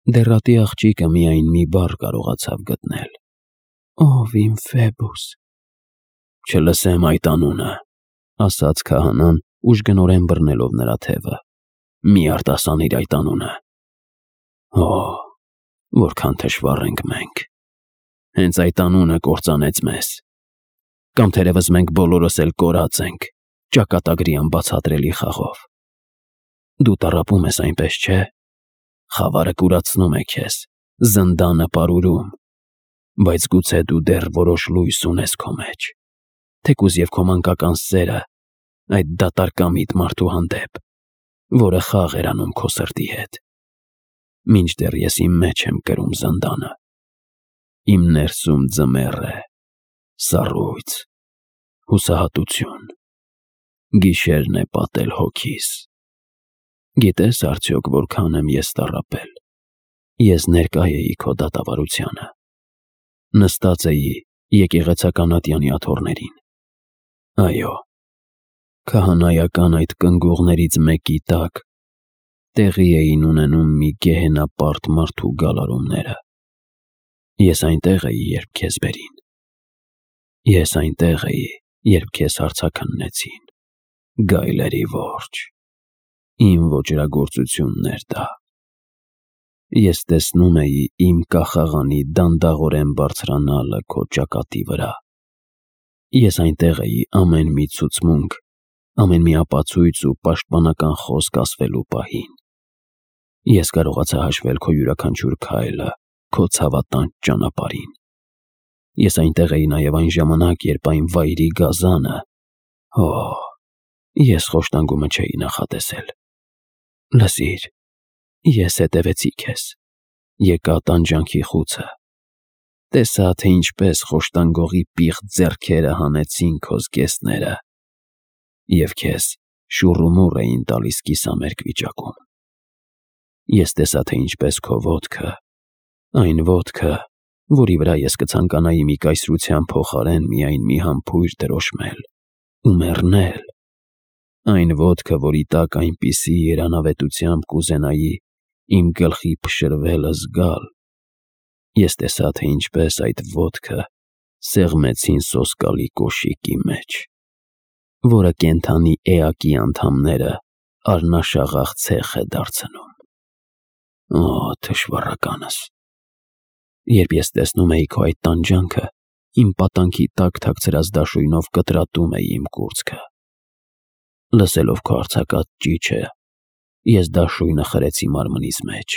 Դեռատի աղջիկը միայն մի բառ կարողացավ գտնել. «Ով իմ Ֆեբուս»։ «Չլսեմ այդ անունը», ասաց քահանան, ուժգնորեն բռնելով նրա թևը։ «Մի արտասանիր այդ անունը»։ Օ, որքան թշվառ ենք մենք։ Հենց այդ անունը կործանեց մեզ։ Կամ թերևս մենք բոլորս էլ կորած ենք, ճակատագրի անբացատրելի խաղով։ Դու տառապում ես, այնպես չէ՞։ Խավարը կուրացնում է քեզ, զնդանը պարուրում, բայց գուցե դու դեռ որոշ լույս ունես քո մեջ, թեկուզ և քո մանկական սերը այդ դատարկամիտ մարդու հանդեպ, որը խաղ էր անում քո սրտի հետ։ Մինչդեռ ես իմ մեջ եմ կրում զնդանը, իմ ներսում ձմեռ է, սառույց, հուսահատություն, գիշերն է պատել հոգիս։ Գիտես արդյոք որքան եմ ես տառապել։ Ես ներկա էի քո դատավարությանը, նստած էի եկեղեցական ատյանի աթոռներին։ Այո, քահանայական այդ կնգուղներից մեկի տակ տեղի էին ունենում մի գեհենապարտ մարդու գալարումները։ Ես այնտեղ էի, երբ քեզ բերին։ Ես այնտեղ էի, երբ քեզ հարցաքննեցին։ Գայլերի որջը, իմ ոճրագործությունն էր դա։ Ես տեսնում էի իմ կախաղանի դանդաղորեն բարձրանալը քո ճակատի վրա։ Ես այնտեղ էի ամեն մի ցուցմունք, ամեն մի ապացույց ու պաշտպանական խոսք ասվելու պահին։ Ես կարողացա հաշվել քո յուրաքանչյուր քայլը քո ցավատանջ ճանապարհին։ Ես այնտեղ էի նաև այն ժամանակ, երբ այն վայրի գազանը… Օ, ես խոշտանգումը չէի նախատեսել։ Լսիր, ես հետևեցի քեզ, եկա տանջանքի խուցը, տեսա, թե ինչպես խոշտանգողի պիղծ ձեռքերը հանեցին քո զգեստները և քեզ շուռումուռ էին տալիս կիսամերկ վիճակում։ Ես տեսա, թե ինչպես քո ոտքը, այն ոտքը, որի վրա ես կցանկանայի մի կայսրության փոխարեն միայն մի համբույր դրոշմել ու մեռնել, այն ոտքը, որի տակ այնպիսի երանավետությամբ կուզենայի իմ գլխի փշրվելը զգալ։ Ես տեսա, թե ինչպես այդ ոտքը սեղմեցին սոսկալի կոշիկի մեջ, որը կենդանի էակի անդամները առնաշաղախ ցեխ է դարձնում։ Օ, թշվառականս։ Երբ ես տեսնում էի քո այդ տանջանքը, իմ պատանքի տակ թաքցրած դաշույնով կտրատում էի իմ կուրծքը։ Լսելով քո արձակած ճիչը, ես դաշույնը խրեցի մարմնիս մեջ։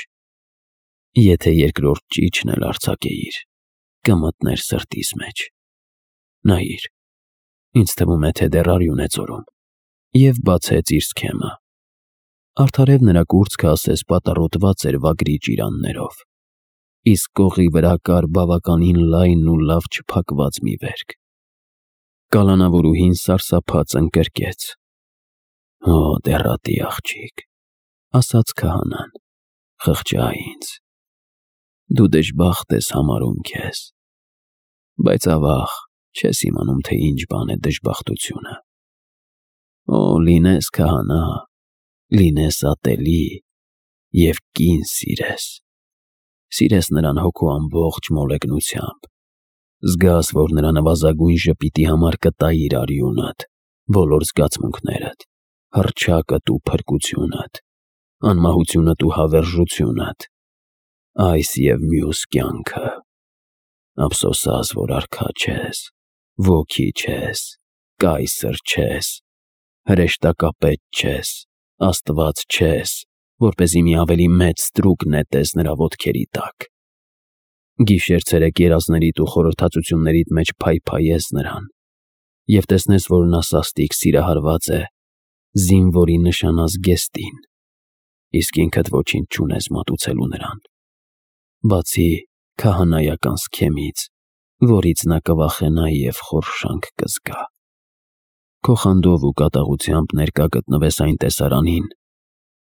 Եթե երկրորդ ճիչն էլ արձակեիր, կմտներ սրտիս մեջ։ Նայիր, ինձ թվում է, թե դեռ արյուն է ծորում։ Եվ բացեց իր սքեմը։ Արդարև նրա կուրծքը ասես պատառոտված էր վագրի ճիրաններով, իսկ կողի վրա կար բավականին լայն ու լավ չփակված մի վերք։ Կալանավորուհին սարսափած ընկրկեց։ Օ, դեռատի աղջիկ, ասաց քահանան, խղճա ինձ։ Դու դժբախտ ես համարում քեզ, բայց ավաղ չես իմանում, թե ինչ բան է դժբախտությունը։ Օ, լինես քահանա, լինես ատելի և կին սիրես։ Սիրես նրան հոգու ամբողջ մոլեգնությամբ, զգաս, որ նրա նվազագույն ժպիտի համար կտայիր արյունդ, բոլոր զգացմունքներդ, հռչակդ ու փրկությունդ, անմահությունդ ու հավերժությունդ, այս և մյուս կյանքը։ Ափսոսաս, որ արքա չես, ոգի չես, կայսր չես, հրեշտակապետ չես, աստված չես, որպեսզի մի ավելի մեծ ստրուկ նետես նրա ոտքերի տակ։ Գիշեր-ցերեկ երազներիդ ու խորհրդածություններիդ մեջ փայփայես նրան և տեսնես, որ նա սաստիկ սիրահարված է զինվորի նշանազգեստին, իսկ ինքդ ոչինչ չունես մատուցելու նրան, բացի քահանայական սքեմից, որից նա կվախենա և խորշանք կզգա։ Քո խանդով ու կատաղությամբ ներկա գտնվես այն տեսարանին,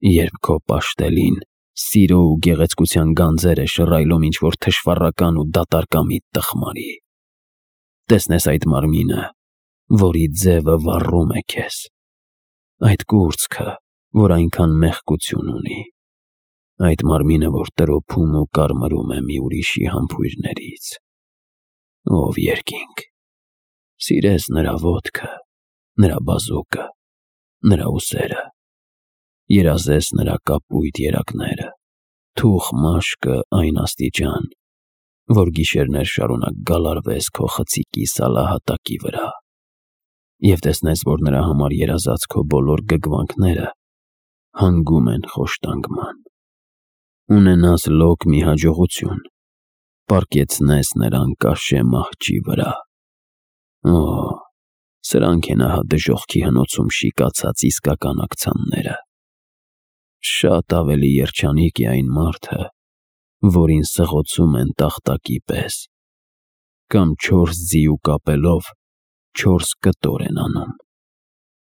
երբ քո պաշտելին սիրո ու գեղեցկության գանձեր է շռայլում ինչ-որ թշվառական ու դատարկամիտ տխմարի։ Տեսնես այդ մարմինը, որի ձևը վառում է քեզ, այդ կուրծքը, որ այնքան մեղքություն ունի, Այդ մարմինը, որ տրոփում ու կարմրում է մի ուրիշի համբույրներից։ Ով երկինք, սիրես նրա ոտքը, նրա բազուկը, նրա ուսերը, երազես նրա կապույտ երակները, թուխ մաշկը այն աստիճան, որ գիշերներ շարունակ գալարվես քո խցիկի սալահատակի վրա, և տեսնես, որ նրա համար երազած քո բոլոր գգվանքները հանգում են խոշտանգման։ Ունենաս լոկ մի հաջողություն, պառկեցնես նրան կաշե մահճի վրա։ Օ, սրանք են ահա դժոխքի հնոցում շիկացած իսկական աքցանները։ Շատ ավելի երջանիկ է այն մարդը, որին սղոցում են տախտակի պես, կամ 4 ձիու կապելով 4 կտոր են անում։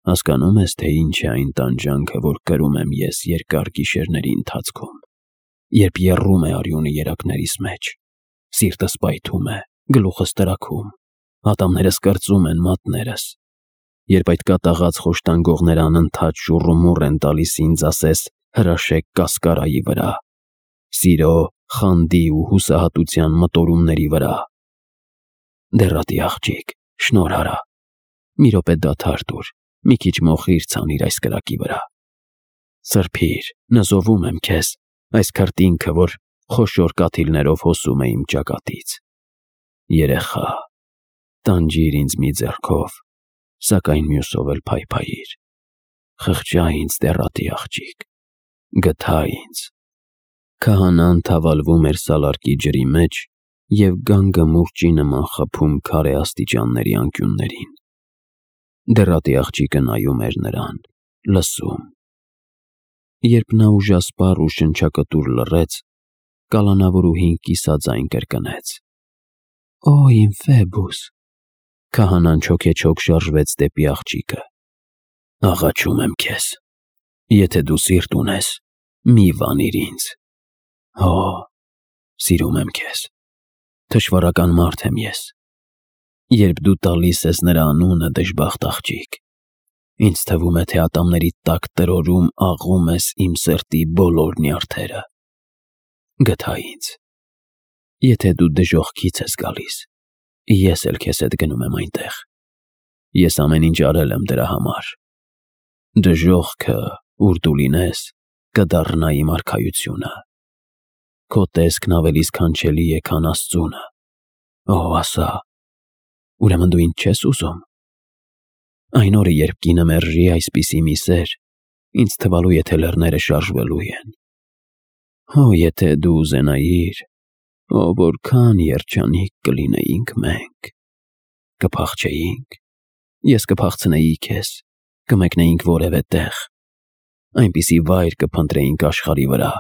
Հասկանում ես, թե ինչ է այն տանջանքը, որ կրում եմ ես երկար գիշերների ընթացքում, երբ եռում է արյունը երակներիս մեջ, սիրտս պայթում է, գլուխս տրաքում, ատամներս կրծում են մատներս, երբ այդ կատաղած խոշտանգողները անընդհատ շուռումուռ են տալիս ինձ ասես հրաշեք կասկարայի վրա, սիրո, խանդի ու հուսահատության մտորումների վրա։ Դեռատի աղջիկ, շնորհ արա, մի րոպե դադար տուր, մի քիչ մոխիր ցանիր այս կրակի վրա։ Սրբիր, նզովում եմ քեզ, այս քրտինքը, որ խոշոր կաթիլներով հոսում է իմ ճակատից։ Երեխա, տանջիր ինձ մի ձեռքով, սակայն մյուսով էլ փայփայիր։ Խղճա ինձ, դեռատի աղջիկ, գթա ինձ։ Քահանան թավալվում էր սալարկի ջրի մեջ և գանգը մուրճի նման խփում քարե աստիճանների անկյուններին։ Դեռատի աղջիկը նայում էր նրան, լսում։ Երբ նա ուժասպառ ու շնչակտուր լռեց, կալանավորուհին կիսաձայն կրկնեց. Օ, իմ Ֆեբուս։ Քահանան չոքեչոք շարժվեց դեպի աղջիկը։ Աղաչում եմ քեզ, եթե դու սիրտ ունես, մի վանիր ինձ։ Հո, սիրում եմ քեզ, թշվառական մարդ եմ ես։ Երբ դու տալիս ես նրա անունը, դժբախտ աղջիկ, ինձ թվում է, թե ատամներիդ տակ տրորում աղում ես իմ սրտի բոլոր նյարդերը։ Գթա ինձ։ Եթե դու դժոխքից ես գալիս, ես էլ քեզ հետ գնում եմ այնտեղ։ Ես ամեն ինչ արել եմ դրա համար։ Դժոխքը, ուր դու լինես, կդառնա իմ արքայությունը։ Քո տեսքն ավելի սքանչելի է, քան Աստծունը։ Օ, ասա, ուրեմն դու ինձ չես ուզում։ Այն օրը, երբ կինը մերժի այսպիսի մի սեր, ինձ թվալու է, թե լեռները շարժվելու են։ Հո, եթե դու ուզենայիր, օ, որքան երջանիկ կլինեինք մենք։ Կփախչեինք, ես կփախցնեի քեզ, կմեկնեինք որևէ տեղ, այնպիսի վայր կփնտրեինք աշխարհի վրա,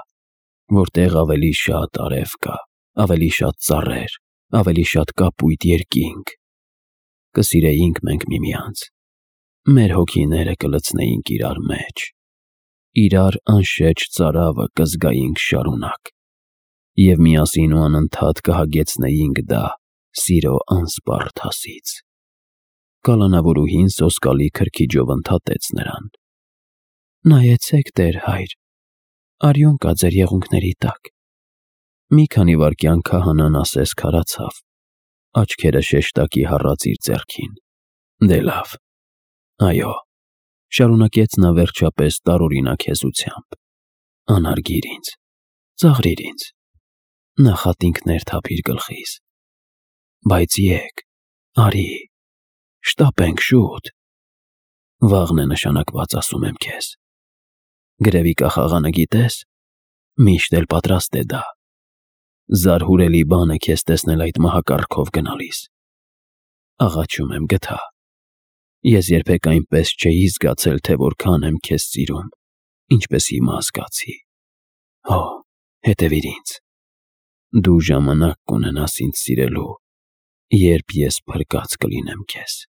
որտեղ ավելի շատ արև կա, ավելի շատ ծառեր, ավելի շատ կապույտ երկինք։ Կսիրեինք մենք միմյանց, մեր հոգիները կլցնեինք իրար մեջ, իրար անշեջ ծարավը կզգայինք շարունակ, և միասին ու անընդհատ կհագեցնեինք դա սիրո անսպառ թասից։ Կալանավորուհին սոսկալի քրքիջով ընդհատեց նրան. Նայեցեք, տեր հայր, արյուն կա ձեր եղունգների տակ։ Մի քանի վայրկյան քահանան ասես քարացավ, աչքերը շեշտակի հառած իր ձեռքին։ Դե լավ, այո, շարունակեց նա վերջապես տարօրինակ հեզությամբ, անարգիր ինձ, ծաղրիր ինձ, նախատինքներ թափիր գլխիս, բայց եկ, արի, շտապենք շուտ։ Վաղն է նշանակված, ասում եմ քեզ։ Գրևի կախաղանը գիտես, միշտ էլ պատրաստ է դա։ Զարհուրելի բան է քեզ տեսնել այդ մահակարգով գնալիս։ Աղաչում եմ, գթա։ Ես երբեք այնպես չէի զգացել, թե որքան եմ քեզ սիրում, ինչպես հիմա զգացի։ Հո, հետևիր ինձ։ Դու ժամանակ կունենաս ինձ սիրելու, երբ ես փրկած կլինեմ քեզ։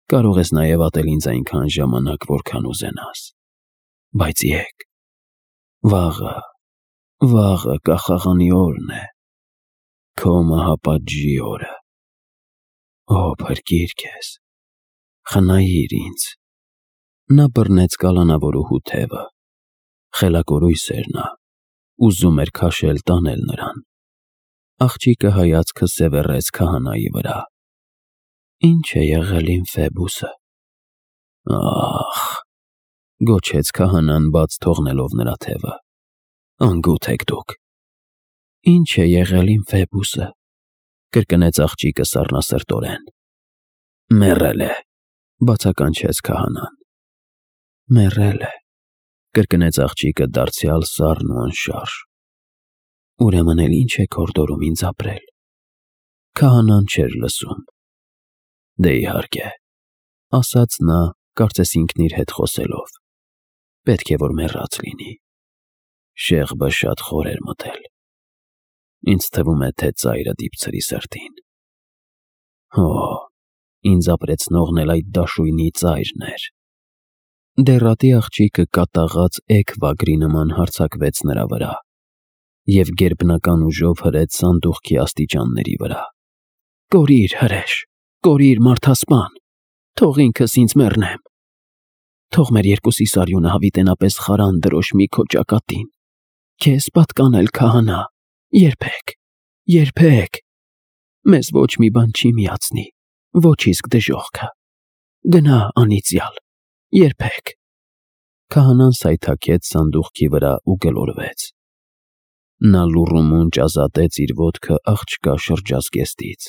Կարող ես նաև ատել ինձ այնքան ժամանակ, որքան ուզենաս։ Բայց եկ, վաղը կախաղանի օրն է, քո մահապատժի օրը։ Օ, փրկիր քեզ, խնայիր ինձ։ Նա բռնեց կալանավորուհու թևը, խելագորույս էր նա, ուզում էր քաշել տանել նրան։ Աղջիկը հայացքը սևեռեց քահանայի վրա։ Ինչ է եղել իմ Ֆեբուսը։ Ախ, գոչեց քահանան բաց թողնելով նրա թևը։ Անգութ եք դուք։ Ինչ է եղել իմ Ֆեբուսը, կրկնեց աղջիկը սառնասրտորեն։ Մեռել է, բացականչեց քահանան։ Մեռել է, կրկնեց աղջիկը դարձյալ սառն ու անշարժ։ Ուրեմն էլ ինչ եք հորդորում ինձ ապրել։ Քահանան չէր լսում։ Դե իհարկե, ասաց նա, կարծես ինքն իր հետ խոսելով։ Պետք է որ մեռած լինի։ Շեղբը շատ խոր էր մտել։ Ինձ թվում է, թե ծայրը դիպցրի սրտին։ Հո, ինձ ապրեցնողն էլ այդ դաշույնի ծայրն էր։ Դեռատի աղջիկը կատաղած էգ վագրի նման հարձակվեց նրա վրա և գերբնական ուժով հրեց սանդուղքի աստիճանների վրա։ Կորիր, հրեշ, կորիր, մարդասպան, թող ինքս ինձ մեռնեմ։ Թող մեր երկուսի սարյունը հավիտենապես խարան դրոշմի քո ճակատին։ Քեզ պատկանել քահանա, երբեք, երբեք։ Մեզ ոչ մի բան չի միացնի, ոչ իսկ դժոխքը։ Գնա, անիծյալ, երբեք։ Քահանան սայթաքեց սանդուղքի վրա ու գլորվեց։ Նա լուռումունջ ազատեց իր ոտքը աղջկա շրջազգեստից,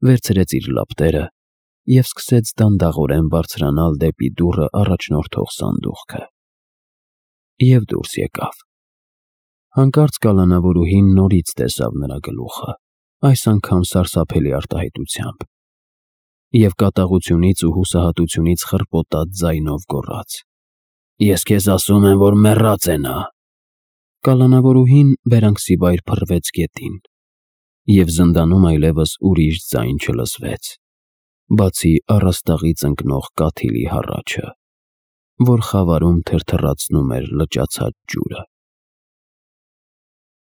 վերցրեց իր լապտերը և սկսեց դանդաղորեն բարձրանալ դեպի դուռը առաջնորդող սանդուղքը։ Եվ դուրս եկավ։ Հանկարծ կալանավորուհին նորից տեսավ նրա գլուխը, այս անգամ սարսափելի արտահայտությամբ, և կատաղությունից ու հուսահատությունից խռպոտած ձայնով գոռաց. Ես քեզ ասում եմ, որ մեռած է նա։ Կալանավորուհին վերանգսիվայր փռվեց գետին, և զնդանում այլևս ուրիշ ձայն չլսվեց, բացի առաստաղից ընկնող կաթիլի հառաչը, որ խավարում թրթռացնում էր լճացած ջուրը։